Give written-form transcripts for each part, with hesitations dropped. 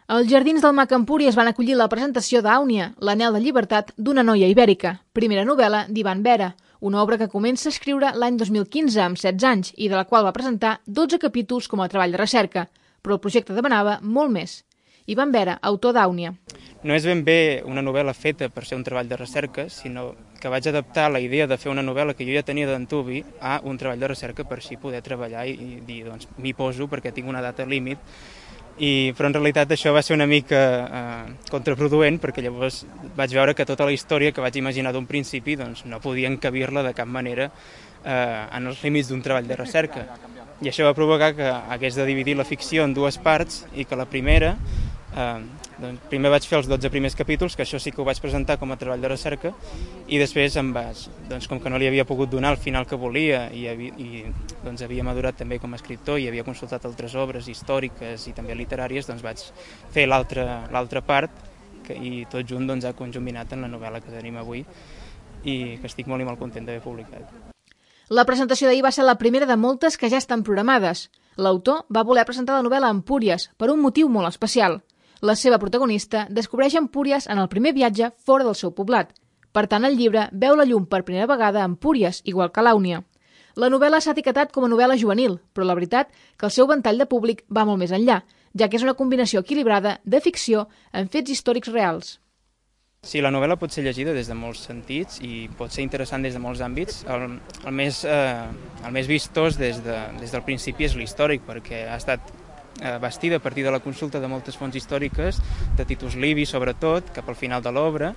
Els Jardins del Mac Empúries van acollir la presentació d'Àunia, l'anhel de llibertat d'una noia ibèrica, primera novel·la d'Ivan Vera, una obra que comença a escriure l'any 2015 amb 16 anys i de la qual va presentar 12 capítols com a treball de recerca, però el projecte demanava molt més. Ivan Vera, autor d'Àunia. No és ben bé una novel·la feta per ser un treball de recerca, sinó que vaig adaptar la idea de fer una novel·la que jo ja tenia d'antuvi a un treball de recerca per així poder treballar i dir, doncs, m'hi poso perquè tinc una data límit. Però en realitat això va ser una mica contraproduent perquè llavors vaig veure que tota la història que vaig imaginar d'un principi doncs, no podia encabir-la de cap manera en els límits d'un treball de recerca. I això va provocar que hagués de dividir la ficció en dues parts i que la primera, doncs, primer vaig fer els 12 primers capítols, que això sí que ho vaig presentar com a treball de recerca, i després doncs, com que no li havia pogut donar el final que volia i doncs, havia madurat també com a escriptor i havia consultat altres obres històriques i també literàries, doncs vaig fer l'altra part i tot junt doncs, ha conjuminat en la novel·la que tenim avui i que estic molt i molt content d'haver publicat. La presentació d'ahir va ser la primera de moltes que ja estan programades. L'autor va voler presentar la novel·la a Empúries per un motiu molt especial. La seva protagonista descobreix Empúries en el primer viatge fora del seu poblat. Per tant, el llibre veu la llum per primera vegada a Empúries, igual que l'Àunia. La novel·la s'ha etiquetat com a novel·la juvenil, però la veritat que el seu ventall de públic va molt més enllà, ja que és una combinació equilibrada de ficció amb fets històrics reals. Sí, la novel·la pot ser llegida des de molts sentits i pot ser interessant des de molts àmbits. El més vistós des del principi és l'històric, perquè ha estat bastida a partir de la consulta de moltes fonts històriques, de Titus Livi sobretot, cap al final de l'obra.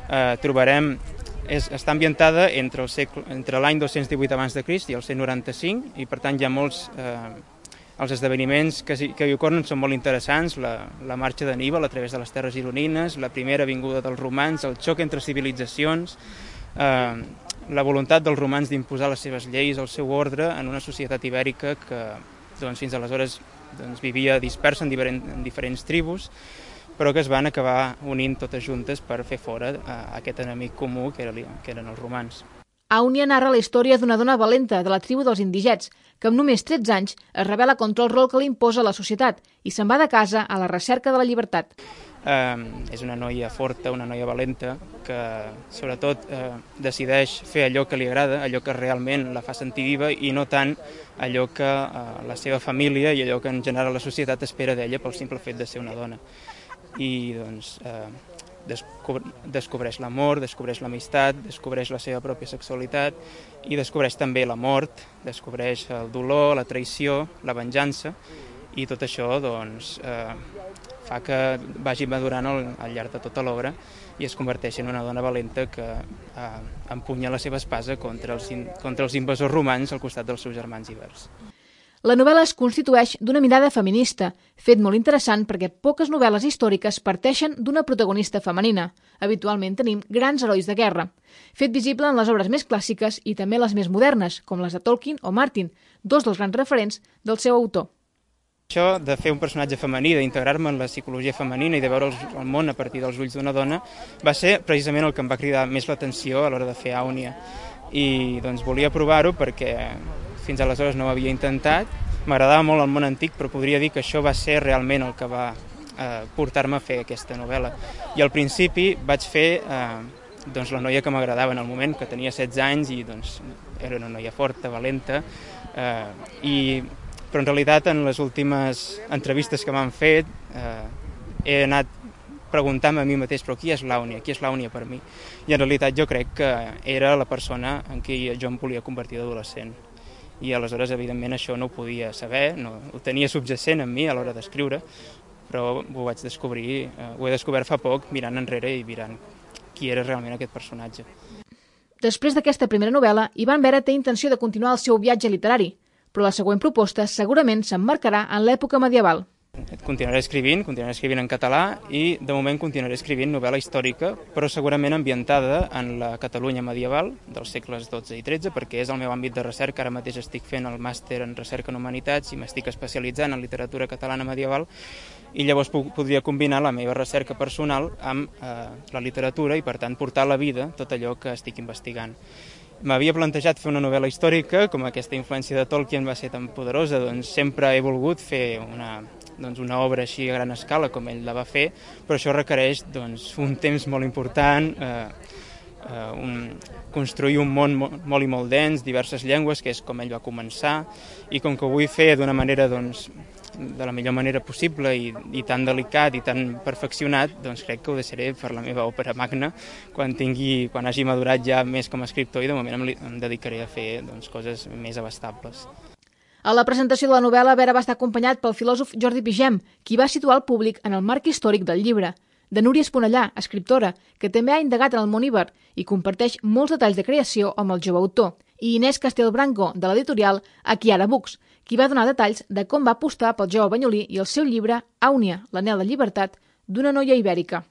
Està ambientada entre l'any 218 abans de Crist i el 195, i per tant hi ha molts... Els esdeveniments que hi ocorren són molt interessants, la marxa d'Anníbal a través de les terres gironines, la primera vinguda dels romans, el xoc entre civilitzacions, la voluntat dels romans d'imposar les seves lleis, el seu ordre en una societat ibèrica que doncs, fins aleshores vivia dispersa en diferents tribus, però que es van acabar unint totes juntes per fer fora aquest enemic comú que eren els romans. Àunia narra la història d'una dona valenta de la tribu dels indigets, que amb només 13 anys es rebel·la contra el rol que li imposa la societat i se'n va de casa a la recerca de la llibertat. És una noia forta, una noia valenta, que sobretot decideix fer allò que li agrada, allò que realment la fa sentir viva i no tant allò que la seva família i allò que en general la societat espera d'ella pel simple fet de ser una dona. I doncs... descobreix l'amor, descobreix l'amistat, descobreix la seva pròpia sexualitat i descobreix també la mort, descobreix el dolor, la traïció, la venjança, i tot això doncs, fa que vagi madurant al llarg de tota l'obra i es converteix en una dona valenta que empunya la seva espasa contra els invasors romans al costat dels seus germans ibers. La novel·la es constitueix d'una mirada feminista, fet molt interessant perquè poques novel·les històriques parteixen d'una protagonista femenina. Habitualment tenim grans herois de guerra. Fet visible en les obres més clàssiques i també les més modernes, com les de Tolkien o Martin, dos dels grans referents del seu autor. Això de fer un personatge femení, d'integrar-me en la psicologia femenina i de veure el món a partir dels ulls d'una dona, va ser precisament el que em va cridar més l'atenció a l'hora de fer Àunia. I doncs volia provar-ho perquè fins aleshores no ho havia intentat. M'agradava molt el món antic, però podria dir que això va ser realment el que va portar-me a fer aquesta novel·la. I al principi vaig fer la noia que m'agradava en el moment, que tenia 16 anys i doncs, era una noia forta, valenta, però en realitat en les últimes entrevistes que m'han fet he anat preguntant-me a mi mateix, però qui és l'Àunia per mi? I en realitat jo crec que era la persona en qui jo em volia convertir d'adolescent. I aleshores, evidentment, això no ho podia saber, no, ho tenia subjacent en mi a l'hora d'escriure, però ho vaig descobrir, ho he descobert fa poc mirant enrere i mirant qui era realment aquest personatge. Després d'aquesta primera novel·la, Ivan Vera té intenció de continuar el seu viatge literari, però la següent proposta segurament s'emmarcarà en l'època medieval. Continuaré escrivint en català i de moment continuaré escrivint novel·la històrica, però segurament ambientada en la Catalunya medieval dels segles XII i XIII, perquè és el meu àmbit de recerca. Ara mateix estic fent el màster en recerca en humanitats i m'estic especialitzant en literatura catalana medieval i llavors podria combinar la meva recerca personal amb la literatura i per tant portar a la vida tot allò que estic investigant. m'havia plantejat fer una novel·la històrica, com aquesta influència de Tolkien va ser tan poderosa, doncs sempre he volgut fer una obra així a gran escala com ell la va fer, però això requereix un temps molt important, construir un món molt i molt dens, diverses llengües, que és com ell va començar, i com que ho vull fer d'una manera de la millor manera possible i tan delicat i tan perfeccionat, doncs crec que ho deixaré per la meva òpera magna quan hagi madurat ja més com a escriptor, i de moment em dedicaré a fer coses més abastables. A la presentació de la novel·la, Vera va estar acompanyat pel filòsof Jordi Pigem, qui va situar el públic en el marc històric del llibre, de Núria Esponellà, escriptora, que també ha indagat en el món iber i comparteix molts detalls de creació amb el jove autor, i Inés Castelbranco, de l'editorial Aquiara Books, qui va donar detalls de com va apostar pel jove banyolí i el seu llibre Àunia, l'anhel de llibertat d'una noia ibèrica.